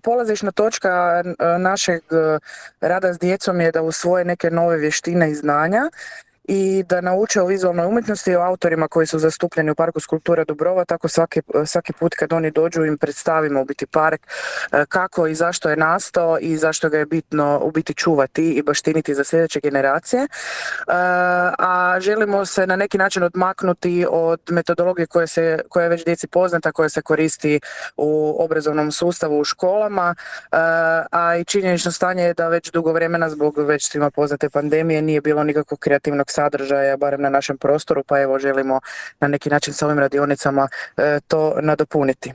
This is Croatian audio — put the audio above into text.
polazišna točka našeg rada s djecom je da usvoje neke nove vještine i znanja i da nauče o vizualnoj umjetnosti i o autorima koji su zastupljeni u Parku skulpture Dubrova, tako svaki put kad oni dođu im predstavimo u biti park kako i zašto je nastao i zašto ga je bitno u biti čuvati i baštiniti za sljedeće generacije. A želimo se na neki način odmaknuti od metodologije koja je već djeci poznata, koja se koristi u obrazovnom sustavu u školama, a i činjenično stanje je da već dugo vremena zbog već svima poznate pandemije nije bilo nikakvog kreativnog sadržaja, barem na našem prostoru, pa evo želimo na neki način s ovim radionicama to nadopuniti.